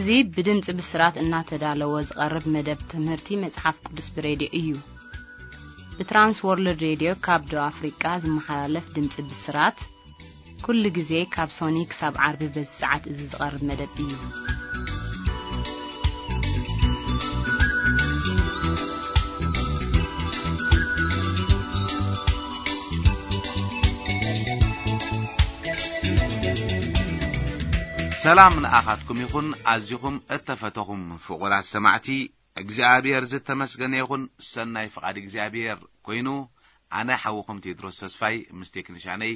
እዚ ብድምፂ ብስራት እናተዳለወ ዝቐርብ መደብ ትምህርቲ መፅሓፍ ቅዱስ ብሬድዮ እዩ። ብትራንስ ወርልድ ሬድዮ ካብ ደቡብ ኣፍሪቃ ዝመሓላለፍ ድምፂ ብስራት ኩሉ ግዜ ካብ ሶኒ ክሳብ ዓርቢ በዚ ሰዓት እዚ ዝቐርብ መደብ እዩ። ሰላም ንኣኻትኩም ይኹን። ኣዚኹም እተፈተኹም ፍቑራት ሰማዕቲ፣ እግዚኣብሔር ዝተመስገነ ይኹን። ሰናይ ፍቓድ እግዚኣብሔር ኮይኑ፣ ኣነ ሓውኹም ቴድሮስ ተስፋይ ምስ ቴክኒሻነይ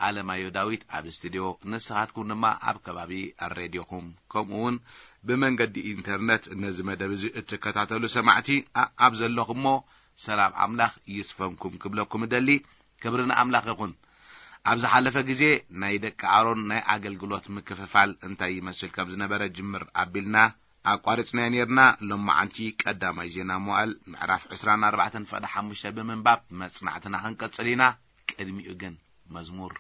ኣለማዮ ዳዊት ኣብ ስቱድዮ፣ ንስኻትኩም ድማ ኣብ ከባቢ ሬድዮኹም፣ ከምኡ እውን ብመንገዲ ኢንተርነት ነዚ መደብ እዚ እትከታተሉ ሰማዕቲ፣ ኣ-፣ ኣብ ዘለኹሞ ሰላም ኣምላኽ ይስፈንኩም ክብለኩም እደሊ። ክብሪ ንኣምላኽ ይኹን። ኣብ ዝሓለፈ ግዜ ናይ ደቂ ኣሮን ናይ ኣገልግሎት ምክፍፋል እንታይ ይመስል ከም ዝነበረ ጅምር ኣቢልና ኣቋሪጽናዮ ኔርና። ሎማዓንቲ ቀዳማይ ዜና መዋእል ምዕራፍ ዕስራን ኣርባዕተን ፍቕዲ ሓሙሽተ ብምንባብ መጽናዕትና ክንቀጽል ኢና። ቅድሚኡ ግን መዝሙር።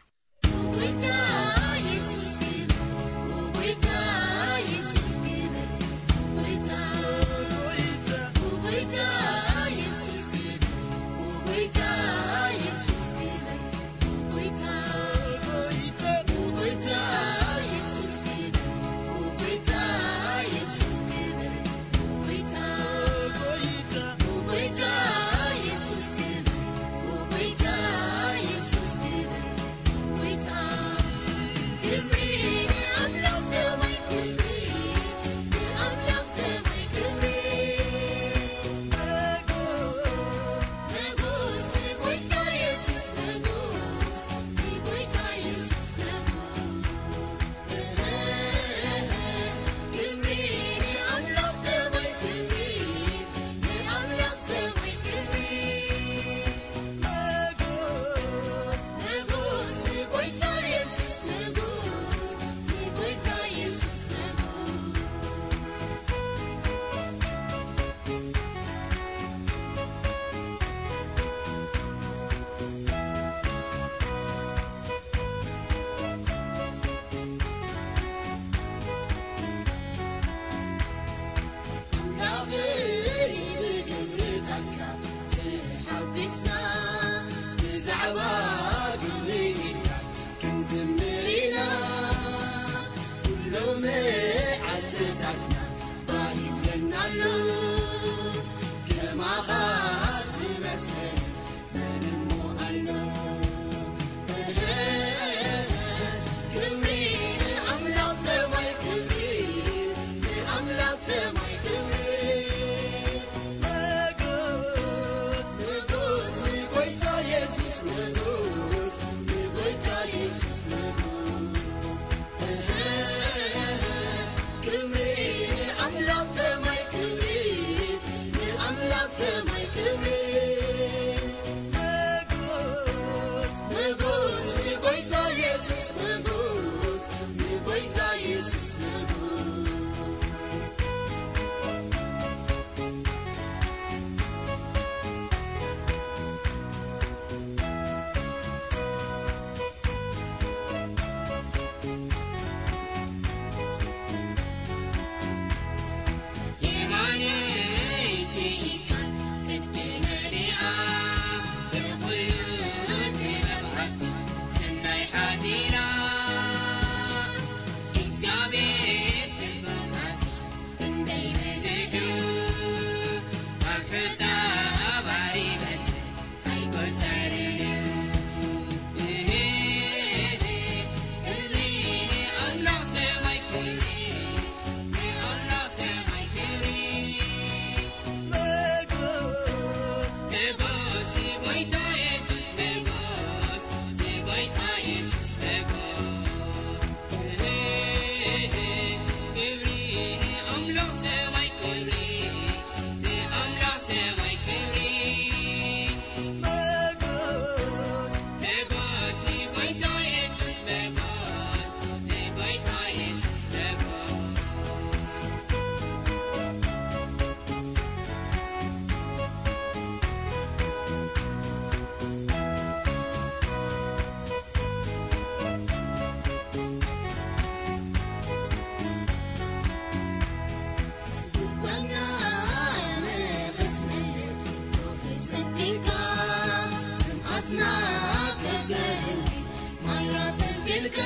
ኣያ ፍልፍልካ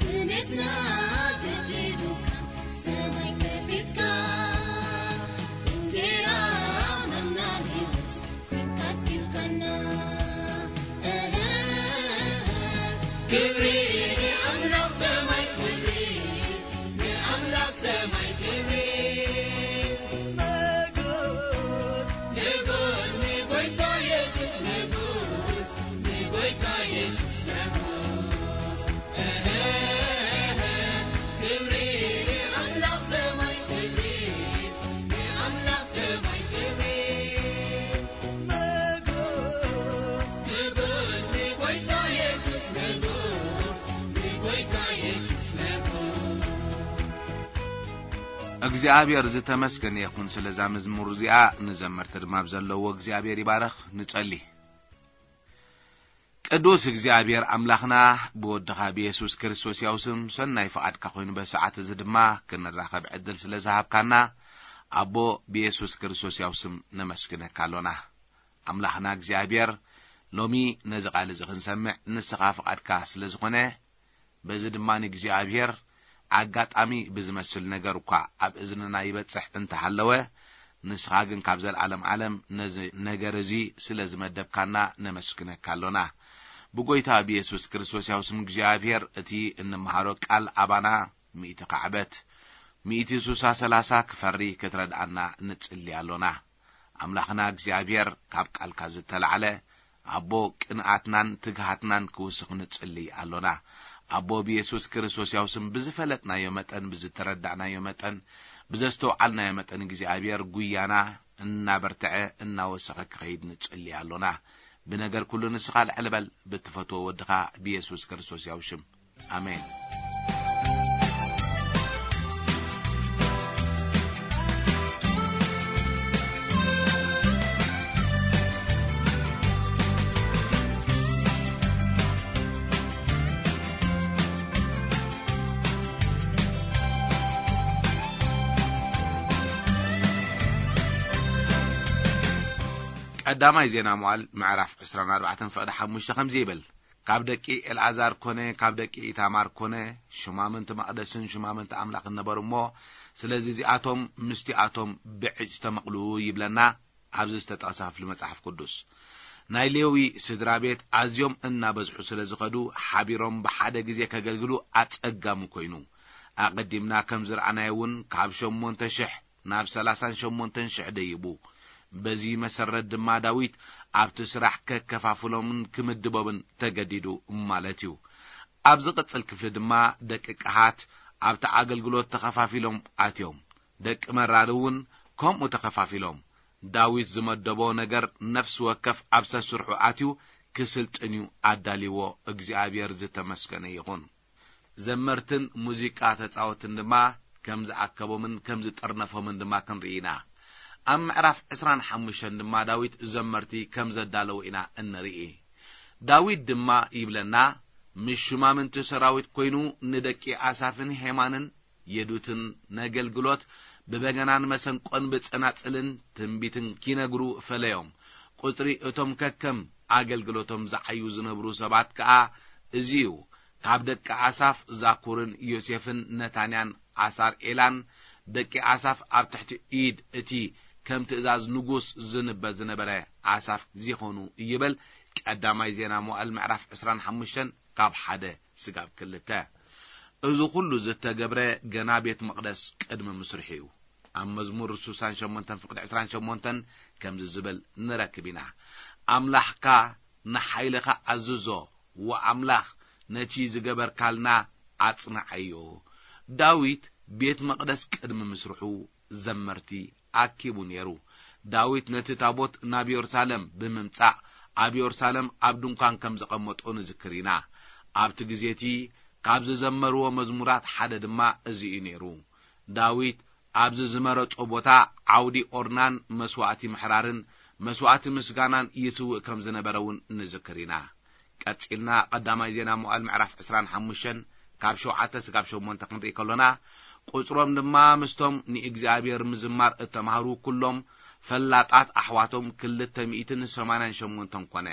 ትሜትና ገዲዱካ ሰማይ ከፊትካ እንጌራ መና ህይወት ኮንካ ኣጥጊብካና። ክብሪ ንኣምላኽ ሰማይ ክብሪ ንኣምላኽ ሰማይ ክብሪ። ንጉስ ንጉስ ንጎይታ የሱስ ንጉስ ንጎይታ የሱስ ንጉስ። ክብሪ ንኣምላኽ ሰማይ ክብሪ ንኣምላኽ ሰማይ ክብሪ። ንጉስ ንጉስ ንጎይታ የሱስ ንጉስ ንጎይታ የሱስ ንጉስ። እግዚኣብሔር ዝተመስገነ ይኹን ስለዛ መዝሙር እዚኣ። ንዘመርቲ ድማ ብዘለዎ እግዚኣብሔር ይባረኽ። ንጸሊ። ቅዱስ እግዚኣብሔር ኣምላኽና፣ ብወድኻ ብየሱስ ክርስቶስ ያው ስም ሰናይ ፍቓድካ ኮይኑ በሰዓት እዚ ድማ ክንራኸብ ዕድል ስለ ዝሃብካና ኣቦ ብየሱስ ክርስቶስ ያው ስም ነመስግነካ ኣሎና። ኣምላኽና እግዚኣብሔር፣ ሎሚ ነዚ ቃል እዚ ክንሰምዕ ንስኻ ፍቓድካ ስለ ዝኾነ፣ በዚ ድማ ንእግዚኣብሔር ኣጋጣሚ ብዝመስል ነገር እኳ ኣብ እዝንና ይበጽሕ እንተሃለወ፣ ንስኻ ግን ካብ ዘለዓለም ዓለም ነዚ ነገር እዚ ስለ ዝመደብካና ነመስግነካ ኣሎና። ብጎይታ ብየሱስ ክርስቶስ ያው ስም እግዚኣብሔር እቲ እንመሃሮ ቃል ኣባና ሚእቲ ካዕበት፣ ሚእቲ ሱሳ ሰላሳ ክፈሪ ክትረድኣና ንጽሊ ኣሎና። ኣምላኽና እግዚኣብሔር ካብ ቃልካ ዝተላዕለ ኣቦ ቅንኣትናን ትግሃትናን ክውስኽ ንጽሊ ኣሎና። ኣቦ ብየሱስ ክርስቶስ ያው ስም ብዝፈለጥናዮ መጠን፣ ብዝተረዳእናዮ መጠን፣ ብዘስተውዓልናዮ መጠን እግዚኣብሔር ጉያና እናበርትዐ እናወሰኸ ክኸይድ ንጽሊ ኣሎና። ብነገር ኩሉ ንስኻ ልዕል በል ብትፈትዎ ወድኻ ብየሱስ ክርስቶስ ያው ሽም። ኣሜን። ቀዳማይ ዜና መዋዕል ምዕራፍ ዕስራን ኣርባዕተን ፍቕዲ ሓሙሽተ ከምዚ ይብል። ካብ ደቂ ኤልኣዛር ኮነ ካብ ደቂ ኢታማር ኮነ ሽማምንቲ መቕደስን ሽማምንቲ ኣምላኽን ነበሩ እሞ፣ ስለዚ እዚኣቶም ምስቲኣቶም ብዕጭ ተመቕሉ ይብለና ኣብዚ ዝተጠቕሰ ክፍሊ መጽሓፍ ቅዱስ። ናይ ሌዊ ስድራ ቤት ኣዝዮም እናበዝሑ ስለ ዝኸዱ፣ ሓቢሮም ብሓደ ግዜ ከገልግሉ ኣጸጋሚ ኮይኑ። ኣቐዲምና ከም ዝረኣናዮ እውን ካብ ሸሞንተ ሽሕ ናብ ሰላሳን ሸሞንተን ሽሕ ደይቡ። በዚ መሰረት ድማ ዳዊት ኣብቲ ስራሕ ከከፋፍሎምን ክምድቦምን ተገዲዱ ማለት እዩ። ኣብ ዝቕጽል ክፍሊ ድማ ደቂ ቀሃት ኣብቲ ኣገልግሎት ተኸፋፊሎም ኣትዮም። ደቂ መራሪ እውን ከምኡ ተኸፋፊሎም። ዳዊት ዝመደቦ ነገር ነፍሲ ወከፍ ኣብ ሰስርሑ ኣትዩ ክስልጥን እዩ ኣዳልይዎ። እግዚኣብሔር ዝተመስገነ ይኹን። ዘመርትን ሙዚቃ ተጻወትን ድማ ከም ዝኣከቦምን ከም ዝጠርነፎምን ድማ ክንርኢ ኢና። ኣብ ምዕራፍ ዕስራን ሓሙሽተን ድማ ዳዊት ዘመርቲ ከም ዘዳለዎ ኢና እንርኢ። ዳዊት ድማ ይብለና፣ ምስ ሹማምንቲ ሰራዊት ኮይኑ ንደቂ ኣሳፍን ሄማንን የዱትን ነገልግሎት ብበገናን መሰንቆን ብጸናጽልን ትንቢትን ኪነግሩ ፈለዮም። ቁጽሪ እቶም ከከም ኣገልግሎቶም ዝዓዩ ዝነብሩ ሰባት ከኣ እዚ እዩ። ካብ ደቂ ኣሳፍ ዛኩርን ዮሴፍን ነታንያን ኣሳር ኤላን ደቂ ኣሳፍ ኣብ ትሕቲ ኢድ እቲ ከም ትእዛዝ ንጉስ ዝንበ ዝነበረ ኣሳፍ ዚኾኑ ይብል። ቀዳማይ ዜና መዋዕል ምዕራፍ ዕስራን ሓሙሽተን ካብ ሓደ ስጋብ ክልተ። እዚ ኩሉ ዝተገብረ ገና ቤት መቕደስ ቅድሚ ምስርሑ እዩ። ኣብ መዝሙር ሱሳን ሸሞንተን ፍቕዲ ዕስራን ሸሞንተን ከምዚ ዝብል ንረክብ ኢና። ኣምላኽካ ንሓይልኻ ኣዝዞ፣ ወኣምላኽ ነቲ ዝገበርካልና ኣጽንዓዮ። ዳዊት ቤት መቕደስ ቅድሚ ምስርሑ ዘመርቲ ኣኪቡ ነይሩ። ዳዊት ነቲ ታቦት ናብ የሩሳሌም ብምምጻእ ኣብ የሩሳሌም ኣብ ድንኳን ከም ዘቐመጦ ንዝክር ኢና። ኣብቲ ግዜ እቲ ካብ ዝዘመርዎ መዝሙራት ሓደ ድማ እዚ እዩ ነይሩ። ዳዊት ኣብዚ ዝመረጾ ቦታ ዓውዲ ኦርናን መስዋእቲ ምሕራርን መስዋእቲ ምስጋናን ይስውእ ከም ዝነበረ እውን ንዝክር ኢና። ቀጺልና ቀዳማይ ዜና መዋዕል ምዕራፍ ዕስራን ሓሙሽተን ካብ ሸውዓተ ስጋብ ሸሞንተ ክንርኢ ከሎና፣ ቁጽሮም ድማ ምስቶም ንእግዚኣብሔር ምዝማር እተማህሩ ኩሎም ፈላጣት ኣሕዋቶም ክልተ ሚእትን ሰማንያን ሸሞንተን ኮነ።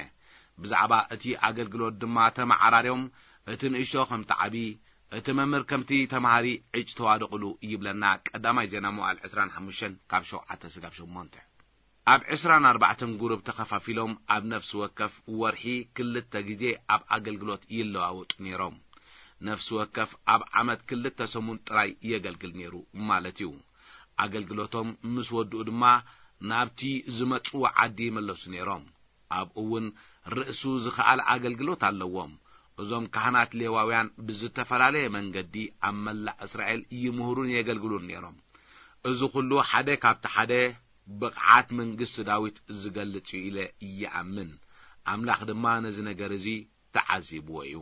ብዛዕባ እቲ ኣገልግሎት ድማ ተመዓራርዮም፣ እቲ ንእሽቶ ከምቲ ዓቢ፣ እቲ መምህር ከምቲ ተማሃሪ ዕጭ ተዋደቑሉ ይብለና ቀዳማይ ዜና መዋዕል ዕስራን ሓሙሽተን ካብ ሸውዓተ ስጋብ ሸሞንተ። ኣብ ዕስራን ኣርባዕተን ጉሩብ ተኸፋፊሎም ኣብ ነፍሲ ወከፍ ወርሒ ክልተ ግዜ ኣብ ኣገልግሎት ይለዋወጡ ነይሮም። ነፍሲ ወከፍ ኣብ ዓመት ክልተ ሰሙን ጥራይ የገልግል ነይሩ ማለት እዩ። ኣገልግሎቶም ምስ ወድኡ ድማ ናብቲ ዝመጽዎ ዓዲ ይመለሱ ነይሮም። ኣብኡ እውን ርእሱ ዝኸኣለ ኣገልግሎት ኣለዎም። እዞም ካህናት ሌዋውያን ብዝተፈላለየ መንገዲ ኣብ መላእ እስራኤል ይምህሩን የገልግሉን ነይሮም። እዚ ኩሉ ሓደ ካብቲ ሓደ ብቕዓት መንግስቲ ዳዊት ዝገልጽ እዩ ኢለ ይኣምን። ኣምላኽ ድማ ነዚ ነገር እዚ ተዓዚብዎ እዩ።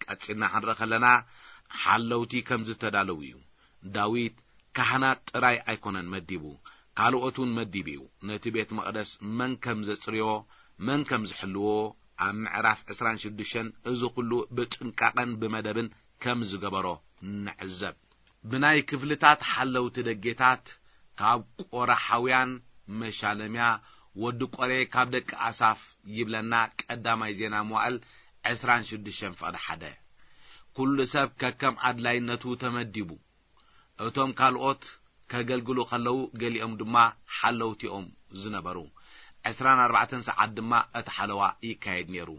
ቀጺልና ክንርኢ ከለና፣ ሓለውቲ ከም ዝተዳለዉ እዩ። ዳዊት ካህናት ጥራይ ኣይኮነን መዲቡ፣ ካልኦት እውን መዲቡ እዩ። ነቲ ቤት መቕደስ መን ከም ዘጽርዮ፣ መን ከም ዝሕልዎ፣ ኣብ ምዕራፍ ዕስራን ሽዱሽተን እዚ ኩሉ ብጥንቃቐን ብመደብን ከም ዝገበሮ ንዕዘብ። ብናይ ክፍልታት ሓለውቲ ደጌታት፣ ካብ ቆራሓውያን መሻለምያ፣ ወዲ ቆሬ ካብ ደቂ ኣሳፍ፣ ይብለና ቀዳማይ ዜና መዋዕል ዕስራን ሽዱሽተን ፍቕዲ ሓደ። ኩሉ ሰብ ከከም ኣድላይነቱ ተመዲቡ። እቶም ካልኦት ከገልግሉ ከለዉ፣ ገሊኦም ድማ ሓለውቲኦም ዝነበሩ። ዕስራን ኣርባዕተን ሰዓት ድማ እቲ ሓለዋ ይካየድ ነይሩ።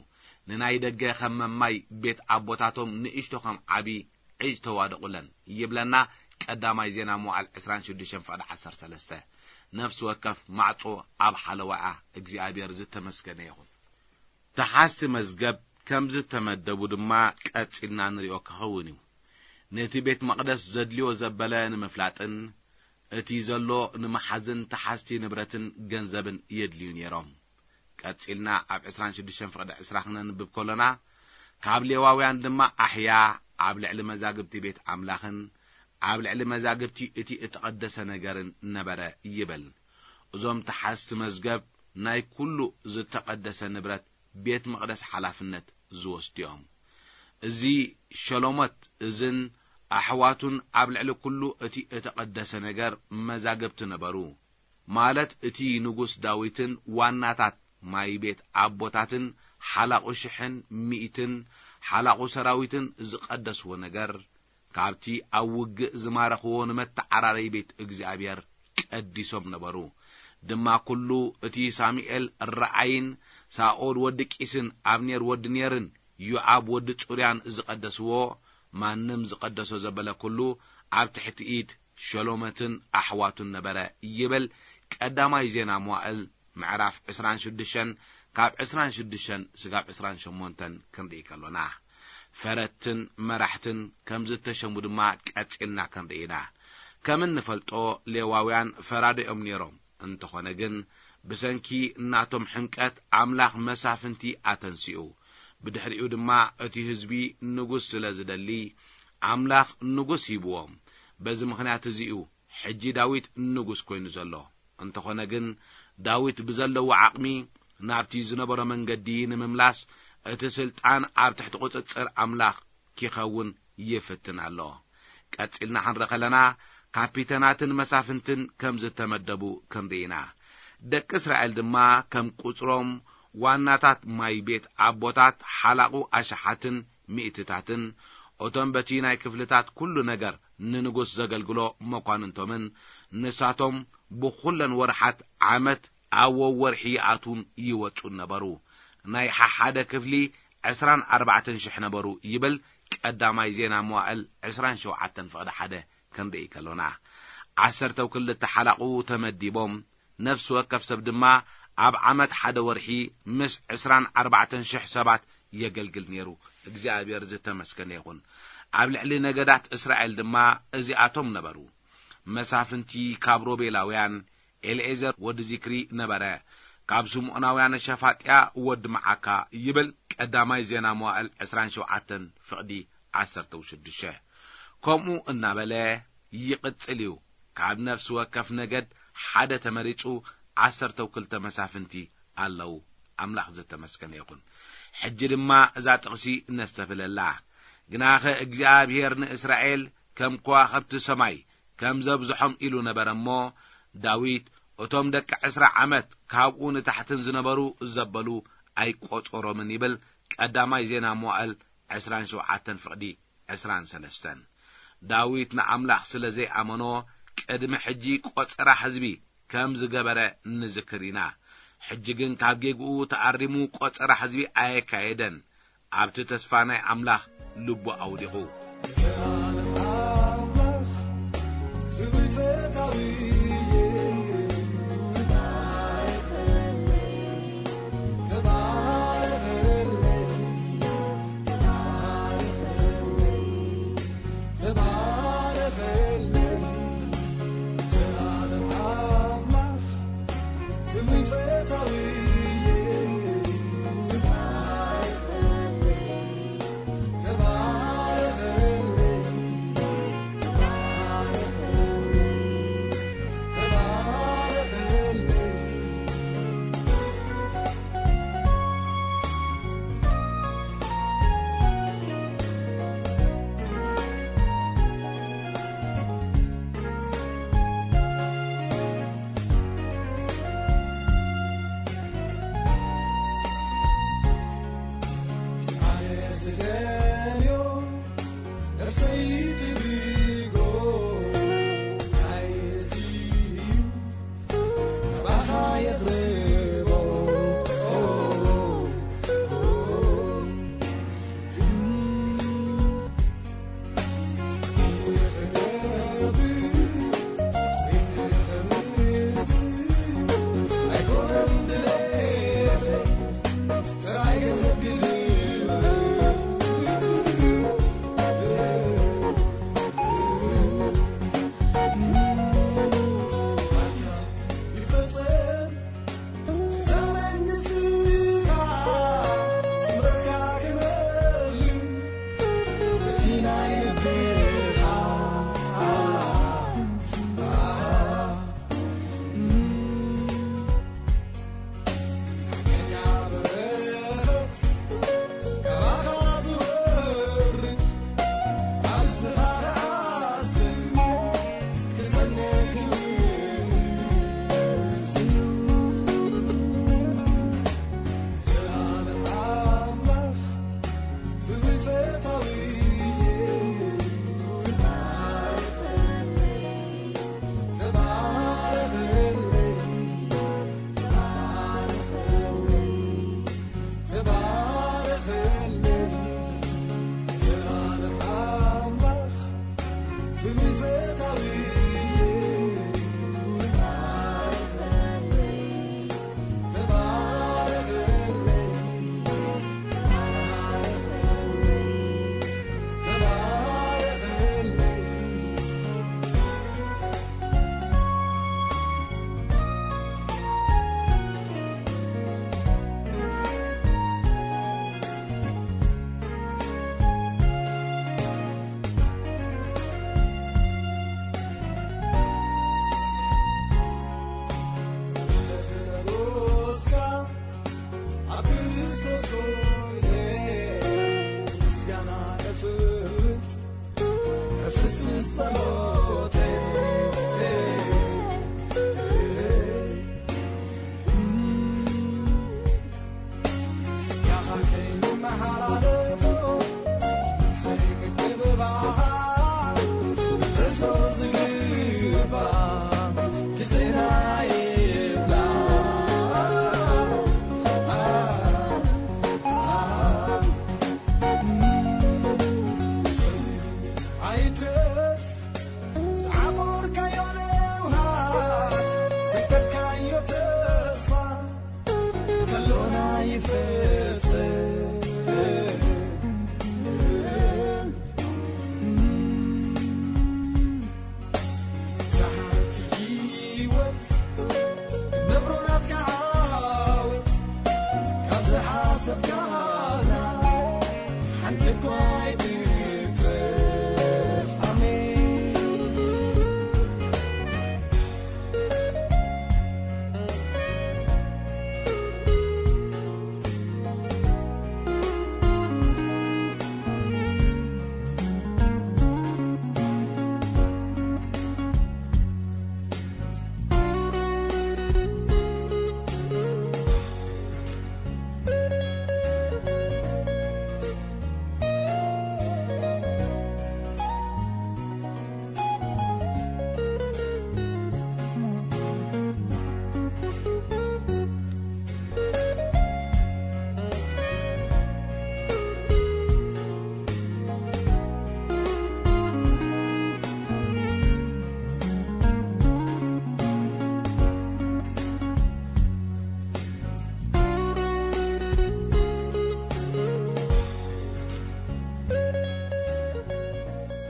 ንናይ ደገ ከም መማይ ቤት ኣቦታቶም፣ ንእሽቶ ከም ዓቢ ዕጭ ተዋደቑለን፣ ይብለና ቀዳማይ ዜና መዋዕል ዕስራን ሽዱሽተን ፍቕዲ ዓሰርተ ሰለስተ። ነፍሲ ወከፍ ማዕጾ ኣብ ሓለዋኣ እግዚኣብሔር ዝተመስገነ ይኹን። ተሓዝቲ መዝገብ ከም ዝተመደቡ ድማ ቀጺልና ንሪኦ ክኸውን እዩ። ነቲ ቤት መቕደስ ዘድልዮ ዘበለ ንምፍላጥን እቲ ዘሎ ንምሓዝን ተሓዝቲ ንብረትን ገንዘብን የድልዩ ነይሮም። ቀጺልና ኣብ ዕስራን ሽዱሽተን ፍቕዲ ዕስራ ክነንብብ ከሎና፣ ካብ ሌዋውያን ድማ ኣሕያ ኣብ ልዕሊ መዛግብቲ ቤት ኣምላኽን ኣብ ልዕሊ መዛግብቲ እቲ እተቐደሰ ነገርን ነበረ ይብል። እዞም ተሓዝቲ መዝገብ ናይ ኩሉ ዝተቐደሰ ንብረት ቤት መቕደስ ሓላፍነት ዝወስዱ እዮም። እዚ ሸሎሞት እዝን ኣሕዋቱን ኣብ ልዕሊ ኩሉ እቲ እተቐደሰ ነገር መዛግብቲ ነበሩ። ማለት እቲ ንጉስ ዳዊትን ዋናታት ማይ ቤት ኣቦታትን ሓላቑ ሽሕን ሚእትን ሓላቑ ሰራዊትን ዝቐደስዎ ነገር፣ ካብቲ ኣብ ውግእ ዝማረኽዎ ንመተዓራረይ ቤት እግዚኣብሔር ቀዲሶም ነበሩ። ድማ ኩሉ እቲ ሳሙኤል ረኣይን ሳኦል ወዲ ቂስን ኣብኔር ወዲ ኔርን ዮኣብ ወዲ ጽሩያን ዝቐደስዎ፣ ማንም ዝቐደሶ ዘበለ ኩሉ ኣብ ትሕቲ ኢድ ሸሎመትን ኣሕዋቱን ነበረ ይብል ቀዳማይ ዜና መዋእል ምዕራፍ ዕስራን ሽዱሽተን፣ ካብ ዕስራን ሽዱሽተን ስጋብ ዕስራን ሸሞንተን ክንርኢ ከሎና፣ ፈረድትን መራሕትን ከም ዝተሸሙ ድማ ቀጺልና ክንርኢ ኢና። ከም እንፈልጦ፣ ሌዋውያን ፈራዶ እዮም ነይሮም። እንተኾነ ግን፣ ብሰንኪ ናቶም ሕምቀት ኣምላኽ መሳፍንቲ ኣተንሲኡ። ብድሕሪኡ ድማ እቲ ህዝቢ ንጉስ ስለ ዝደሊ፣ ኣምላኽ ንጉስ ሂብዎም። በዚ ምኽንያት እዚ እዩ ሕጂ ዳዊት ንጉስ ኮይኑ ዘሎ። እንተኾነ ግን፣ ዳዊት ብዘለዎ ዓቕሚ ናብቲ ዝነበሮ መንገዲ ንምምላስ፣ እቲ ስልጣን ኣብ ትሕቲ ቁጽጽር ኣምላኽ ኪኸውን ይፍትን ኣሎ። ቀጺልና ክንርኢ ከለና፣ ካፒተናትን መሳፍንትን ከም ዝተመደቡ ክንርኢ ኢና። ደቂ እስራኤል ድማ ከም ቁጽሮም ዋናታት ማይ ቤት ኣቦታት፣ ሓላቑ ኣሽሓትን ሚእትታትን፣ እቶም በቲ ናይ ክፍልታት ኩሉ ነገር ንንጉስ ዘገልግሎ መኳንንቶምን፣ ንሳቶም ብኹለን ወርሓት ዓመት ኣብ ወወርሒ ይኣትዉን ይወጹን ነበሩ። ናይ ሓሓደ ክፍሊ ዕስራን ኣርባዕተን ሽሕ ነበሩ ይብል ቀዳማይ ዜና መዋእል ዕስራን ሸውዓተን ፍቕዲ ሓደ ክንርኢ ከሎና። ዓሰርተው ክልተ ሓላቑ ተመዲቦም፣ ነፍሲ ወከፍ ሰብ ድማ ኣብ ዓመት ሓደ ወርሒ ምስ ዕስራን ኣርባዕተን ሽሕ ሰባት የገልግል ነይሩ። እግዚኣብሔር ዝተመስገነ ይኹን። ኣብ ልዕሊ ነገዳት እስራኤል ድማ እዚኣቶም ነበሩ። መሳፍንቲ ካብ ሮቤላውያን፣ ኤልኤዘር ወዲ ዚክሪ ነበረ። ካብ ስምዖናውያን ሸፋጥያ ወዲ መዓካ ይብል ቀዳማይ ዜና መዋእል ዕስራን ሸውዓተን ፍቕዲ ዓሰርተው ሽዱሽተ። ከምኡ እናበለ ይቕጽል እዩ። ካብ ነፍሲ ወከፍ ነገድ ሓደ ተመሪጹ ዓሰርተው ክልተ መሳፍንቲ ኣለዉ። ኣምላኽ ዝተመስገነ ይኹን። ሕጂ ድማ እዛ ጥቕሲ ነስተብህለላ። ግናኸ እግዚኣብሔር ንእስራኤል ከም ከዋኽብቲ ሰማይ ከም ዘብዝሖም ኢሉ ነበረ እሞ፣ ዳዊት እቶም ደቂ ዕስራ ዓመት ካብኡ ንታሕትን ዝነበሩ ዘበሉ ኣይቆጸሮምን ይብል ቀዳማይ ዜና መዋእል ዕስራን ሸውዓተን ፍቕዲ ዕስራን ሰለስተን። ዳዊት ንኣምላኽ ስለ ዘይኣመኖ ቅድሚ ሕጂ ቆጸራ ህዝቢ ከም ዝገበረ ንዝክር ኢና። ሕጂ ግን ካብ ጌግኡ ተኣሪሙ ቆጸራ ህዝቢ ኣየካየደን። ኣብቲ ተስፋ ናይ ኣምላኽ ልቡ ኣውዲቑ።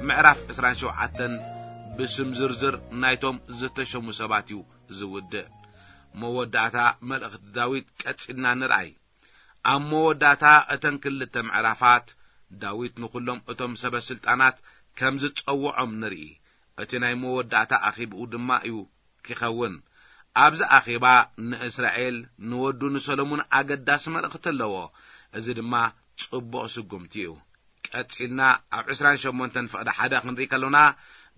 ምዕራፍ ዕስራን ሸውዓተን ብስም ዝርዝር ናይቶም ዝተሸሙ ሰባት እዩ ዝውድእ። መወዳእታ መልእኽቲ ዳዊት ቀጺልና ንርኣይ። ኣብ መወዳእታ እተን ክልተ ምዕራፋት፣ ዳዊት ንኹሎም እቶም ሰበ ስልጣናት ከም ዝጸውዖም ንርኢ። እቲ ናይ መወዳእታ ኣኼብኡ ድማ እዩ ክኸውን። ኣብዚ ኣኼባ ንእስራኤል፣ ንወዱ ንሰሎሙን ኣገዳሲ መልእኽቲ ኣለዎ። እዚ ድማ ጽቡቕ ስጉምቲ እዩ። ቀጺልና ኣብ ዕስራን ሸሞንተን ፍቕዲ ሓደ ክንርኢ ከሎና፣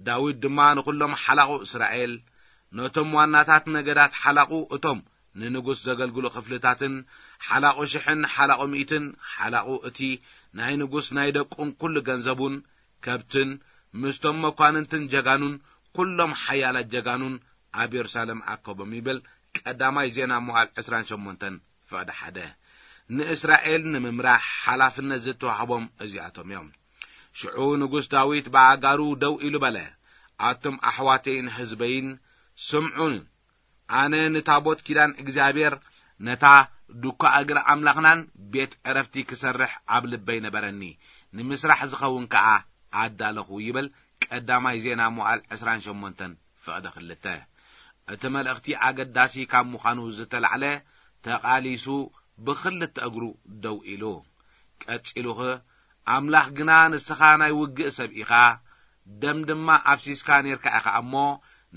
ዳዊት ድማ ንኹሎም ሓላቑ እስራኤል፣ ነቶም ዋናታት ነገዳት ሓላቑ፣ እቶም ንንጉስ ዘገልግሉ ክፍልታትን ሓላቑ ሽሕን ሓላቑ ሚእትን፣ ሓላቑ እቲ ናይ ንጉስ ናይ ደቁን ኩሉ ገንዘቡን ከብትን፣ ምስቶም መኳንንትን ጀጋኑን ኩሎም ሓያላት ጀጋኑን ኣብ የሩሳሌም ኣከቦም ይብል ቀዳማይ ዜና መዋዕል ዕስራን ሸሞንተን ፍቕዲ ሓደ። ንእስራኤል ንምምራሕ ሓላፍነት ዝተዋህቦም እዚኣቶም እዮም። ሽዑ ንጉስ ዳዊት ብኣጋሩ ደው ኢሉ በለ፣ ኣቱም ኣሕዋተይን ህዝበይን ስምዑን፣ ኣነ ንታቦት ኪዳን እግዚኣብሔር፣ ነታ ዱኳ እግሪ ኣምላኽናን ቤት ዕረፍቲ ክሰርሕ ኣብ ልበይ ነበረኒ፣ ንምስራሕ ዝኸውን ከኣ ኣዳለኹ ይብል ቀዳማይ ዜና መዋዕል ዕስራን ሸሞንተን ፍቕዲ ክልተ። እቲ መልእኽቲ ኣገዳሲ ካብ ምዃኑ ዝተላዕለ ተቓሊሱ ብኽልተ እግሩ ደው ኢሉ። ቀጺሉኸ ኣምላኽ ግና ንስኻ ናይ ውግእ ሰብ ኢኻ፣ ደም ድማ ኣፍሲስካ ኔርካ ኢኻ እሞ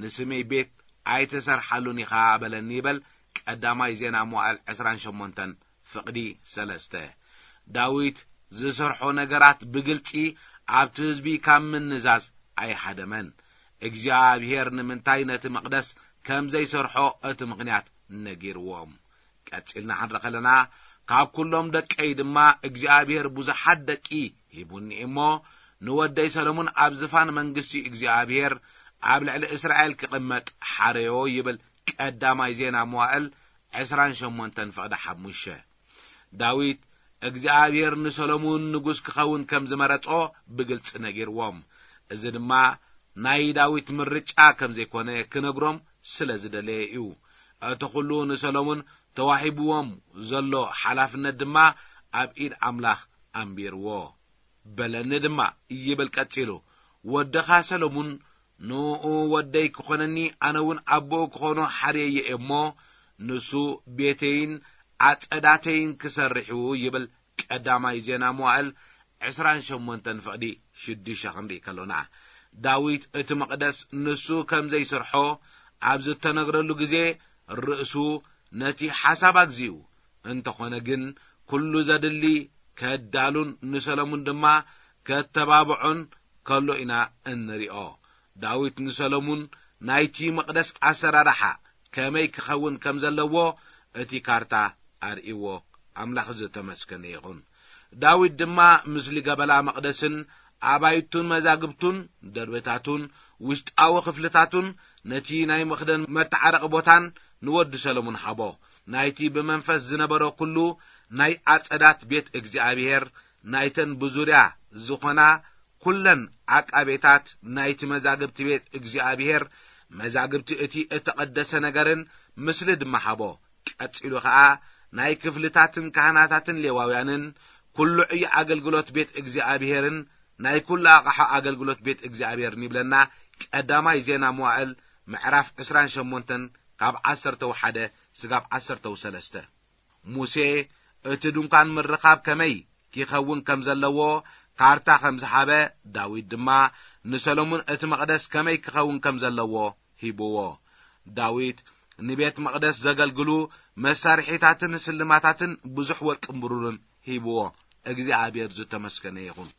ንስመይ ቤት ኣይትሰርሓሉን ኢኻ በለኒ ይበል ቀዳማይ ዜና መዋዕል ዕስራን ሸሞንተን ፍቕዲ ሰለስተ። ዳዊት ዝሰርሖ ነገራት ብግልጺ ኣብቲ ህዝቢ ካብ ምንዛዝ ኣይሃደመን። እግዚኣብሔር ንምንታይ ነቲ መቕደስ ከም ዘይሰርሖ እቲ ምኽንያት ነጊርዎም። ቀጺልና ክንርኢ ከለና፣ ካብ ኩሎም ደቀይ ድማ እግዚኣብሔር ብዙሓት ደቂ ሂቡኒ እሞ፣ ንወደይ ሰሎሙን ኣብ ዝፋን መንግስቲ እግዚኣብሔር ኣብ ልዕሊ እስራኤል ክቕመጥ ሓረዮ ይብል ቀዳማይ ዜና መዋእል ዕስራን ሸሞንተን ፍቕዲ ሓሙሽተ። ዳዊት እግዚኣብሔር ንሰሎሙን ንጉስ ክኸውን ከም ዝመረጾ ብግልጺ ነጊርዎም። እዚ ድማ ናይ ዳዊት ምርጫ ከም ዘይኮነ ክነግሮም ስለ ዝደለየ እዩ። እቲ ኩሉ ንሰሎሙን ተዋሂብዎም ዘሎ ሓላፍነት ድማ ኣብ ኢድ ኣምላኽ ኣንቢርዎ። በለኒ ድማ ይብል ቀጺሉ፣ ወድኻ ሰሎሙን ንኡ ወደይ ክኾነኒ፣ ኣነ እውን ኣቦኡ ክኾኖ ሓርየዮ እሞ፣ ንሱ ቤተይን ዓጸዳተይን ክሰርሕ እዩ ይብል ቀዳማይ ዜና መዋእል ዕስራን ሸሞንተን ፍቕዲ ሽዱሽተ ክንርኢ ከሎና። ዳዊት እቲ መቕደስ ንሱ ከም ዘይሰርሖ ኣብ ዝተነግረሉ ግዜ፣ ርእሱ ነቲ ሓሳብ ኣግዚኡ። እንተኾነ ግን፣ ኩሉ ዘድሊ ከዳሉን ንሰሎሙን ድማ ከተባብዖን ከሎ ኢና እንሪኦ። ዳዊት ንሰሎሙን ናይቲ መቕደስ ኣሰራርሓ ከመይ ክኸውን ከም ዘለዎ እቲ ካርታ ኣርእይዎ። ኣምላኽ ዝተመስገነ ይኹን። ዳዊት ድማ ምስሊ ገበላ መቕደስን ኣባይቱን መዛግብቱን ደርብታቱን ውሽጣዊ ክፍልታቱን ነቲ ናይ መኽደን መተዓረቒ ቦታን ንወዲ ሰሎሙን ሃቦ። ናይቲ ብመንፈስ ዝነበሮ ኩሉ ናይ ኣጸዳት ቤት እግዚኣብሔር፣ ናይተን ብዙርያ ዝኾና ኩለን ዓቃቤታት ናይቲ መዛግብቲ ቤት እግዚኣብሔር፣ መዛግብቲ እቲ እተቐደሰ ነገርን ምስሊ ድማ ሃቦ። ቀጺሉ ኸኣ ናይ ክፍልታትን ካህናታትን ሌዋውያንን ኩሉ ዕዮ ኣገልግሎት ቤት እግዚኣብሔርን ናይ ኩሉ ኣቕሓ ኣገልግሎት ቤት እግዚኣብሔርን ይብለና ቀዳማይ ዜና መዋእል ምዕራፍ ዕስራን ሸሞንተን ካብ ዓሰርተው ሓደ ስጋብ ዓሰርተው ሰለስተ። ሙሴ እቲ ድንኳን ምርኻብ ከመይ ኪኸውን ከም ዘለዎ ካርታ ከም ዝሃበ፣ ዳዊት ድማ ንሰሎሙን እቲ መቕደስ ከመይ ክኸውን ከም ዘለዎ ሂብዎ። ዳዊት ንቤት መቕደስ ዘገልግሉ መሳርሒታትን ስልማታትን ብዙሕ ወርቅን ብሩርን ሂብዎ። እግዚኣብሔር ዝተመስገነ ይኹን።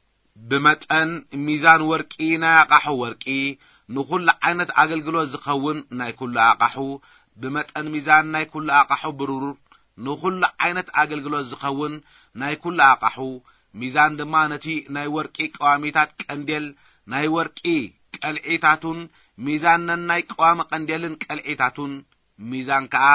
ብመጠን ሚዛን ወርቂ ናይ ኣቓሑ ወርቂ፣ ንኹሉ ዓይነት ኣገልግሎት ዝኸውን ናይ ኩሉ ኣቓሑ፣ ብመጠን ሚዛን ናይ ኩሉ ኣቓሑ ብሩር፣ ንኹሉ ዓይነት ኣገልግሎት ዝኸውን ናይ ኩሉ ኣቓሑ፣ ሚዛን ድማ ነቲ ናይ ወርቂ ቀዋሚታት ቀንዴል፣ ናይ ወርቂ ቀልዒታቱን፣ ሚዛን ነናይ ቀዋሚ ቀንዴልን ቀልዒታቱን፣ ሚዛን ከኣ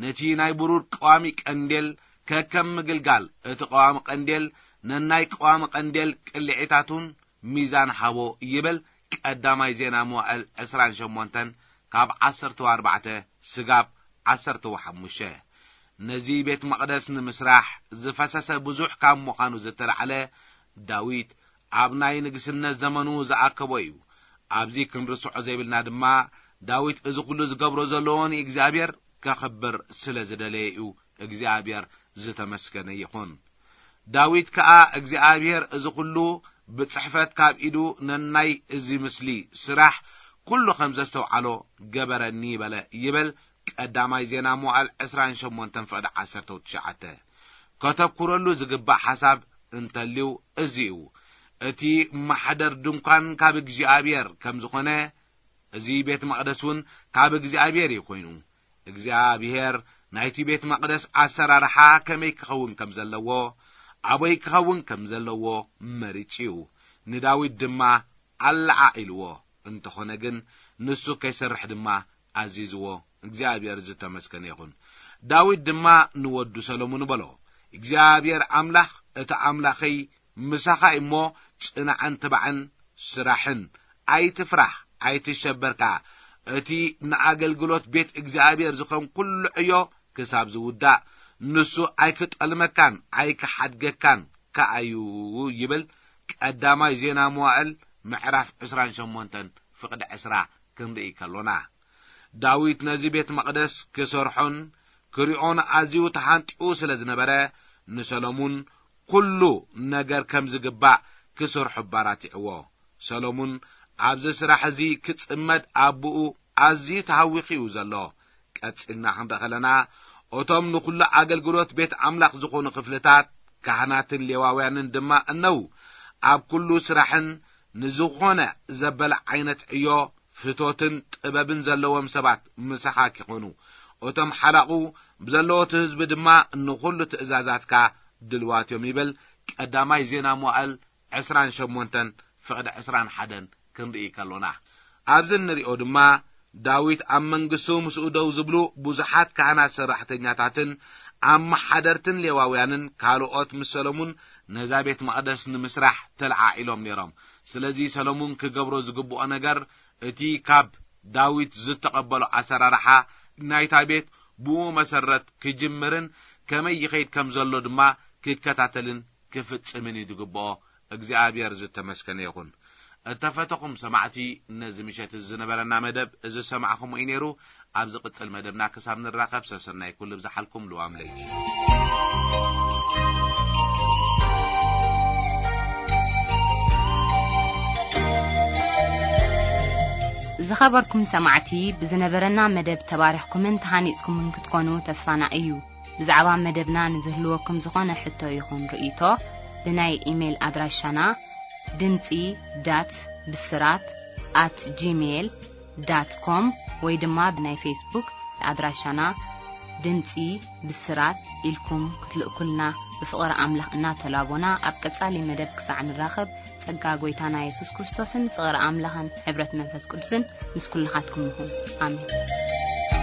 ነቲ ናይ ብሩር ቀዋሚ ቀንዴል ከከም ምግልጋል እቲ ቀዋሚ ቀንዴል ነናይ ቀዋሚ ቀንዴል ቅልዒታቱን ሚዛን ሃቦ ይብል ቀዳማይ ዜና መዋእል ዕስራን ሸሞንተን ካብ ዓሰርተው ኣርባዕተ ስጋብ ዓሰርተው ሓሙሽተ። ነዚ ቤት መቕደስ ንምስራሕ ዝፈሰሰ ብዙሕ ካብ ምዃኑ ዝተላዕለ ዳዊት ኣብ ናይ ንግስነት ዘመኑ ዝኣከቦ እዩ። ኣብዚ ክንርስዖ ዘይብልና ድማ፣ ዳዊት እዚ ኩሉ ዝገብሮ ዘለዎ ንእግዚኣብሔር ከኽብር ስለ ዝደለየ እዩ እግዚኣብሔር ዝተመስገነ ይኹን። ዳዊት ከኣ እግዚኣብሔር እዚ ኩሉ ብጽሕፈት ካብ ኢዱ ነናይ እዚ ምስሊ ስራሕ ኩሉ ከም ዘስተውዓሎ ገበረኒ በለ ይብል። ቀዳማይ ዜና መዋዕል ዕስራን ሸሞንተን ፍቕዲ ዓሰርተ ትሽዓተ። ከተኩረሉ ዝግባእ ሓሳብ እንተልዩ እዚ እዩ። እቲ ማሕደር ድንኳን ካብ እግዚኣብሔር ከም ዝኾነ፣ እዚ ቤት መቕደስ እውን ካብ እግዚኣብሔር እዩ ኮይኑ። እግዚኣብሔር ናይቲ ቤት መቕደስ ኣሰራርሓ ከመይ ክኸውን ከም ዘለዎ፣ ኣበይ ክኸውን ከም ዘለዎ መሪጹ እዩ። ንዳዊት ድማ ኣለዓዒልዎ። እንተኾነ ግን ንሱ ከይሰርሕ ድማ ኣዚዝዎ። እግዚኣብሔር ዝተመስገነ ይኹን። ዳዊት ድማ ንወዱ ሰሎሙን በሎ፣ እግዚኣብሔር ኣምላኽ እቲ ኣምላኸይ ምሳኻ እሞ ጽናዕን ትባዕን ስራሕን። ኣይትፍራሕ፣ ኣይትሸበር ከኣ። እቲ ንኣገልግሎት ቤት እግዚኣብሔር ዝኾን ኩሉ ዕዮ ክሳብ ዝውዳእ፣ ንሱ ኣይክጠልመካን ኣይክሓድገካን ከኣዩ ይብል። ቀዳማይ ዜና መዋዕል ምዕራፍ ዕስራን ሸሞንተን ፍቕዲ ዕስራ ክንርኢ ከሎና፣ ዳዊት ነዚ ቤት መቕደስ ክሰርሖን ክሪኦን ኣዝዩ ተሓንጢኡ ስለ ዝነበረ፣ ንሰሎሙን ኩሉ ነገር ከም ዝግባእ ክሰርሖ ኣባራቲዕዎ። ሰሎሙን ኣብዚ ስራሕ እዚ ክጽመድ ኣቦኡ ኣዝዩ ተሃዊኹ እዩ ዘሎ። ቀጺልና ክንርኢ ከለና፣ እቶም ንኹሉ ኣገልግሎት ቤት ኣምላኽ ዝኾኑ ክፍልታት፣ ካህናትን ሌዋውያንን ድማ እነው፣ ኣብ ኩሉ ስራሕን ንዝኾነ ዘበለ ዓይነት ዕዮ ፍቶትን ጥበብን ዘለዎም ሰባት ምሳኻ ኪኾኑ፣ እቶም ሓላቑ ብዘለዎ እቲ ህዝቢ ድማ ንኹሉ ትእዛዛትካ ድልዋት እዮም ይብል። ቀዳማይ ዜና መዋዕል ዕስራን ሸሞንተን ፍቕዲ ዕስራን ሓደን ክንርኢ ከሎና፣ ኣብዚ እንሪኦ ድማ ዳዊት ኣብ መንግስቱ ምስኡ ደው ዝብሉ ብዙሓት ካህናት ሰራሕተኛታትን ኣመሓደርትን ሌዋውያንን ካልኦት ምስ ሰሎሙን ነዛ ቤት መቕደስ ንምስራሕ ተለዓዒሎም ነይሮም። ስለዚ ሰሎሙን ክገብሮ ዝግብኦ ነገር እቲ ካብ ዳዊት ዝተቐበሎ ኣሰራርሓ ናይታ ቤት ብኡ መሰረት ክጅምርን ከመይ ይኸይድ ከም ዘሎ ድማ ክከታተልን ክፍጽምን እዩ ዝግብኦ። እግዚኣብሔር ዝተመስገነ ይኹን። እተፈተኹም ሰማዕቲ፣ ነዚ ምሸት እዚ ዝነበረና መደብ እዚ ዝሰማዕኹምዎ እዩ ነይሩ። ኣብ ዝቕጽል መደብና ክሳብ ንራኸብ ሰሰናይ ኩሉ ብዝሓልኩም ልዋም ለይቲ። ዝኸበርኩም ሰማዕቲ፣ ብዝነበረና መደብ ተባሪኽኩምን ተሃኒጽኩምን ክትኮኑ ተስፋና እዩ። ብዛዕባ መደብና ንዝህልወኩም ዝኾነ ሕቶ ይኹን ርእይቶ፣ ብናይ ኢሜይል ኣድራሻና ድምጺ ዳት ብስራት ኣት ጂሜይል ዳት ኮም ወይ ድማ ብናይ ፌስቡክ ኣድራሻና ድምጺ ብስራት ኢልኩም ክትልእኩልና ብፍቕሪ ኣምላኽ እናተላቦና፣ ኣብ ቀጻሊ መደብ ክሳዕ ንራኸብ፣ ጸጋ ጐይታና የሱስ ክርስቶስን ፍቕሪ ኣምላኽን ሕብረት መንፈስ ቅዱስን ምስ ኩልኻትኩም ይኹን። ኣሜን።